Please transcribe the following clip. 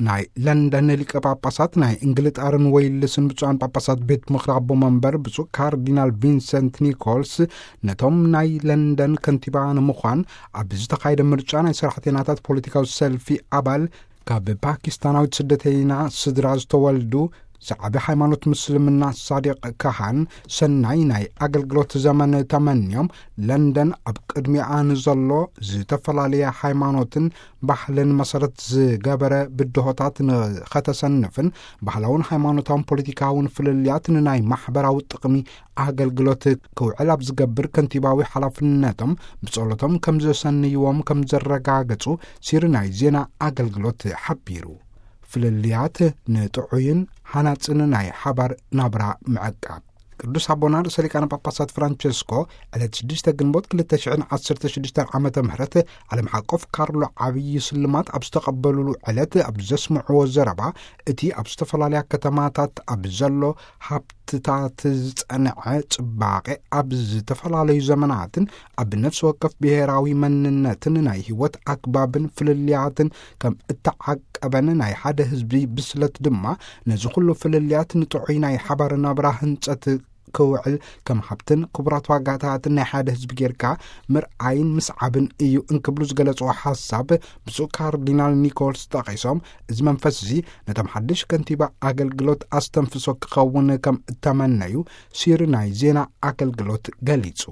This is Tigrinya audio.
ናይ ለንደን ሊቀ ጳጳሳት፣ ናይ እንግልጣርን ወይልስን ብፁዓን ጳጳሳት ቤት ምኽሪ ኣቦ መንበር ብፁዕ ካርዲናል ቪንሰንት ኒኮልስ፣ ነቶም ናይ ለንደን ከንቲባ ንምዃን ኣብ ዝተኻየደ ምርጫ ናይ ሰራሕተኛታት ፖለቲካዊ ሰልፊ ኣባል፣ ካብ ፓኪስታናዊት ስደተይና ስድራ ዝተወልዱ፣ ሰዓቢ ሃይማኖት ምስልምና ሳዲቕ ካሃን ሰናይ ናይ ኣገልግሎት ዘመን ተመንዮም፣ ለንደን ኣብ ቅድሚኣ ንዘሎ ዝተፈላለየ ሃይማኖትን ባህልን መሰረት ዝገበረ ብድሆታት ንኸተሰንፍን፣ ባህላውን ሃይማኖታውን ፖለቲካውን ፍልልያት ንናይ ማሕበራዊ ጥቕሚ ኣገልግሎት ክውዕል ኣብ ዝገብር ከንቲባዊ ሓላፍነቶም ብጸሎቶም ከም ዘሰንይዎም ከም ዘረጋገጹ ሲሪ ናይ ዜና ኣገልግሎት ሓቢሩ። ፍልልያት ንጥዑይን ሃናጽን ናይ ሓባር ናብራ ምዕቃብ። ቅዱስ ኣቦና ርእሰ ሊቃነ ጳጳሳት ፍራንቸስኮ ዕለት ሽዱሽተ ግንቦት ክልተ ሽሕን ዓሰርተ ሽዱሽተን ዓመተ ምህረት ዓለም ሓቆፍ ካርሎ ዓብዪ ስልማት ኣብ ዝተቐበሉሉ ዕለት ኣብ ዘስምዕዎ ዘረባ፣ እቲ ኣብ ዝተፈላለያ ከተማታት ኣብ ዘሎ ሃብትታት ዝጸንዐ ጽባቐ ኣብ ዝተፈላለዩ ዘመናትን ኣብ ነፍሲ ወከፍ ብሄራዊ መንነትን ናይ ህይወት ኣግባብን ፍልልያትን ከም እተዓቀበን፣ ናይ ሓደ ህዝቢ ብስለት ድማ ነዚ ኩሉ ፍልልያት ንጥዑይ ናይ ሓባር ናብራ ህንጸት ክውዕል ከም ሃብትን ክቡራት ዋጋታትን ናይ ሓደ ህዝቢ ጌርካ ምርኣይን ምስዓብን እዩ እንክብሉ ዝገለጽዎ ሓሳብ ብፁዕ ካርዲናል ኒኮልስ ጠቒሶም፣ እዚ መንፈስ እዚ ነቶም ሓድሽ ከንቲባ ኣገልግሎት ኣስተንፍሶ ክኸውን ከም እተመነዩ ሲሪ ናይ ዜና ኣገልግሎት ገሊጹ።